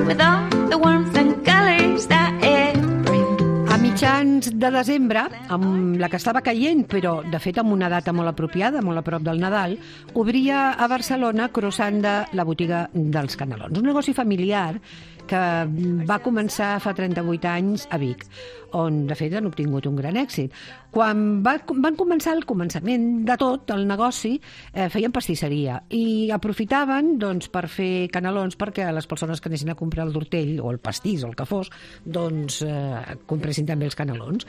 with all the warmth and colors that it brings. A mitjans de desembre, amb la que estava caient, però de fet amb una data molt apropiada, molt a prop del Nadal, obria a Barcelona Crossanda, la botiga dels Canelons. Un negoci familiar que va començar fa 38 anys a Vic, on de fet han obtingut un gran èxit. Quan van començar al començament de tot el negoci, feien pastisseria i aprofitaven doncs, per fer canelons perquè les persones que anessin a comprar el tortell o el pastís o el que fos, doncs compressin també els canelons.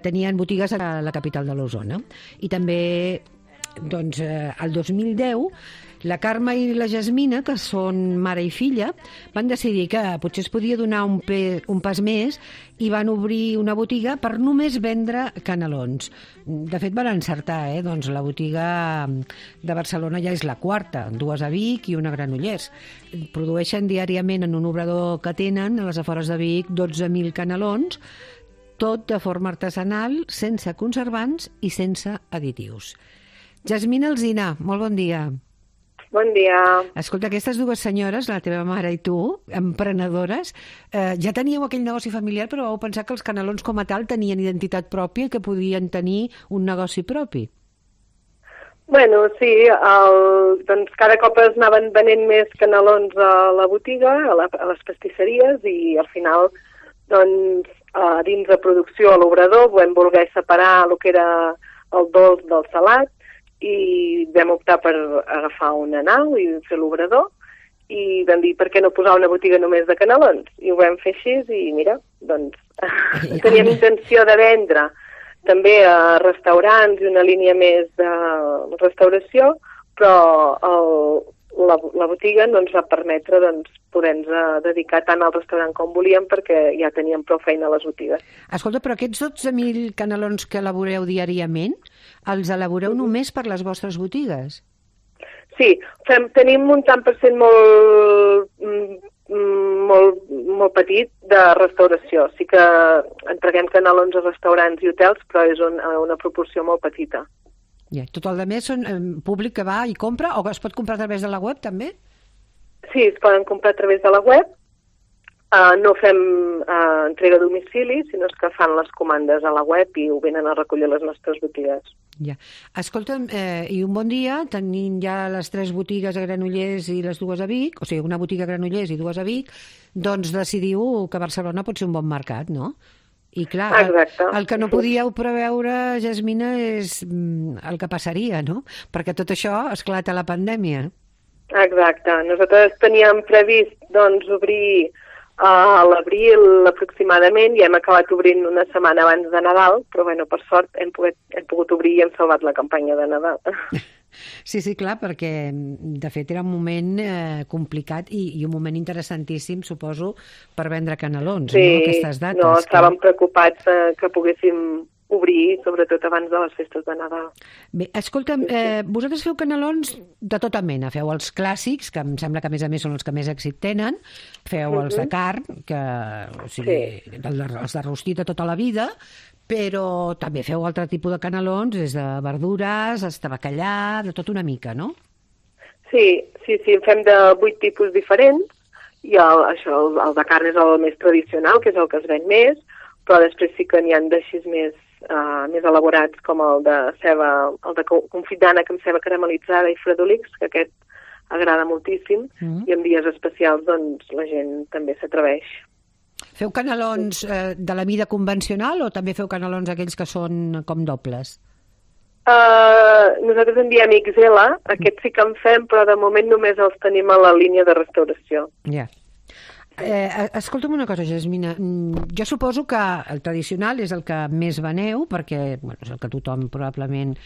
Tenien botigues a la capital de l'Osona i també doncs, el 2010 la Carme i la Jasmina, que són mare i filla, van decidir que potser es podia donar un pas més i van obrir una botiga per només vendre canelons. De fet, van encertar, doncs la botiga de Barcelona ja és la quarta, 2 a Vic i una a Granollers. Produeixen diàriament en un obrador que tenen a les afores de Vic 12.000 canelons, tot de forma artesanal, sense conservants i sense additius. Jasmina Alsina, molt bon dia. Bon dia. Escolta, aquestes dues senyores, la teva mare i tu, emprenedores, ja teníeu aquell negoci familiar, però vau pensar que els canelons com a tal tenien identitat pròpia i que podien tenir un negoci propi. Bueno, sí, doncs cada cop es anaven venent més canelons a la botiga, a les pastisseries, i al final, doncs, dins de producció a l'obrador vam voler separar el que era el dolç del salat, i vam optar per agafar una nau i fer l'obrador i vam dir per què no posar una botiga només de canelons, i ho vam fer així i mira, doncs teníem intenció de vendre també a restaurants i una línia més de restauració, però la botiga no ens va permetre poder-nos dedicar tant al restaurant com volíem perquè ja teníem prou feina a les botigues. Escolta, però aquests 12.000 canelons que elaboreu diàriament, els elaboreu només per les vostres botigues? Sí, tenim un tant per cent molt petit de restauració. Sí que entreguem canelons a restaurants i hotels, però és una proporció molt petita. Ja, tot el més són públic que va i compra, o es pot comprar a través de la web també? Sí, es poden comprar a través de la web. No fem entrega a domicili, sinó que fan les comandes a la web i ho venen a recollir a les nostres botigues. Ja. Escolta'm, i un bon dia, tenint ja les 3 botigues a Granollers i les 2 a Vic, o sigui, una botiga a Granollers i 2 a Vic, doncs decidiu que Barcelona pot ser un bon mercat, no? I clar, el que no podíeu preveure, Jasmina, és el que passaria, no? Perquè tot això esclata la pandèmia. Exacte. Nosaltres teníem previst obrir a l'abril aproximadament i hem acabat obrint una setmana abans de Nadal, però bueno, per sort hem pogut obrir i hem salvat la campanya de Nadal. Sí, clar, perquè de fet era un moment complicat i un moment interessantíssim, suposo, per vendre canelons, sí, no? Aquestes dates. No, estàvem preocupats que poguéssim obrir, sobretot abans de les festes de Nadal. Bé, escolta'm, vosaltres feu canelons de tota mena. Feu els clàssics, que em sembla que a més són els que més èxit tenen, feu els de carn, els de rostit de tota la vida, però també feu altre tipus de canelons, des de verdures, fins a bacallà, de tot una mica, no? Sí, en fem de 8 tipus diferents, i el de carn és el més tradicional, que és el que es ven més, però després sí que n'hi ha d'així més elaborats, com el de confit d'ànec amb ceba caramelitzada i fredolics, que aquest agrada moltíssim, i en dies especials doncs la gent també s'atreveix. Feu canelons de la mida convencional o també feu canelons aquells que són com dobles? Nosaltres en diem XL, aquests sí que en fem, però de moment només els tenim a la línia de restauració. Ja. Escolta'm una cosa, Jasmina. Jo suposo que el tradicional és el que més veneu, perquè és el que tothom probablement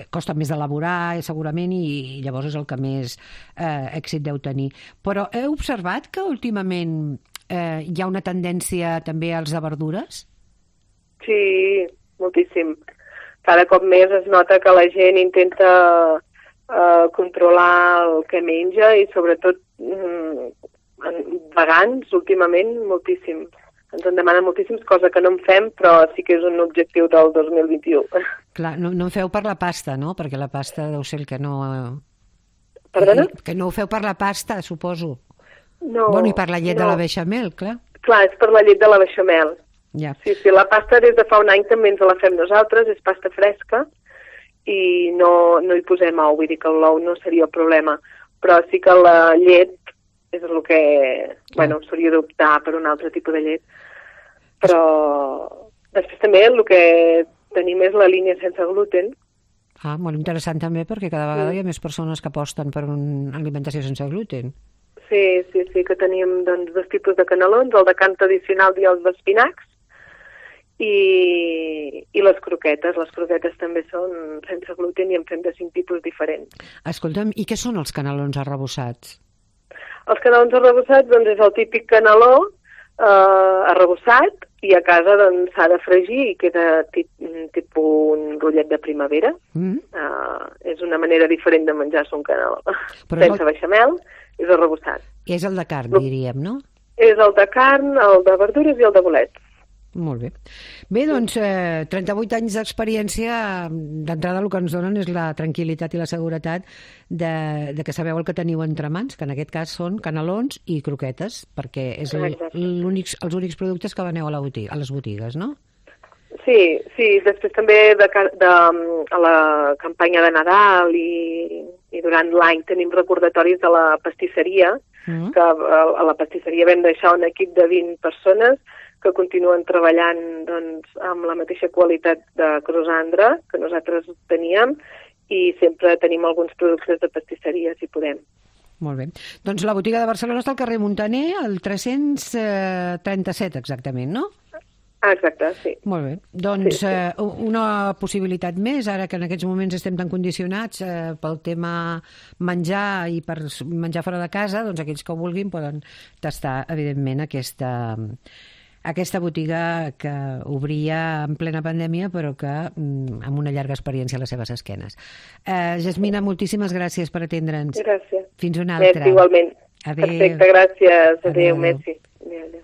costa més d'elaborar, segurament, i llavors és el que més èxit deu tenir. Però heu observat que últimament hi ha una tendència també als de verdures? Sí, moltíssim. Cada cop més es nota que la gent intenta controlar el que menja i sobretot vegans, últimament, moltíssim. Ens en demanen moltíssims, cosa que no en fem, però sí que és un objectiu del 2021. Clar, no en feu per la pasta, no? Perquè la pasta deu ser el que no... Perdona? Que no ho feu per la pasta, suposo. No, Bueno, i per la llet de la beixamel, clar. Clar, és per la llet de la beixamel. Ja. Sí, la pasta des de fa un any també ens la fem nosaltres, és pasta fresca, i no hi posem ou, vull dir que l'ou no seria el problema, però sí que la llet és el que, bueno, s'hauria d'optar per un altre tipus de llet. Però després també el que tenim és la línia sense gluten. Molt interessant també, perquè cada vegada hi ha més persones que aposten per una alimentació sense gluten. Sí, que tenim doncs, dos tipus de canelons, el de carn tradicional i els d'espinacs, i les croquetes. Les croquetes també són sense gluten i en fem de 5 tipus diferents. Escolta'm, i què són els canelons arrebossats? Els canelons arrebossats doncs, és el típic caneló arrebossat, i a casa doncs, s'ha de fregir i queda tipus un rotllet de primavera. És una manera diferent de menjar-se un caneló. Sense beixamel, és arrebossat. És el de carn, diríem, no? És el de carn, el de verdures i el de bolets. Molt bé. Bé, doncs, 38 anys d'experiència, d'entrada el que ens donen és la tranquil·litat i la seguretat de que sabeu el que teniu entre mans, que en aquest cas són canelons i croquetes, perquè és els únics productes que veneu a les botigues, no? Sí, després també a la campanya de Nadal i durant l'any tenim recordatoris de la pastisseria, que a la pastisseria vam deixar un equip de 20 persones que continuen treballant doncs, amb la mateixa qualitat de croissandre que nosaltres teníem, i sempre tenim alguns productes de pastisseria, si podem. Molt bé. Doncs la botiga de Barcelona està al carrer Muntaner, al 337 exactament, no? Exacte, sí. Molt bé. Doncs una possibilitat més, ara que en aquests moments estem tan condicionats pel tema menjar i per menjar fora de casa, doncs aquells que ho vulguin poden tastar, evidentment, aquesta botiga que obria en plena pandèmia, però que amb una llarga experiència a les seves esquenes. Jasmina, moltíssimes gràcies per atendre'ns. Gràcies. Fins una altra. Merci, igualment. Adéu. Perfecte, gràcies. Adéu, merci. Adéu.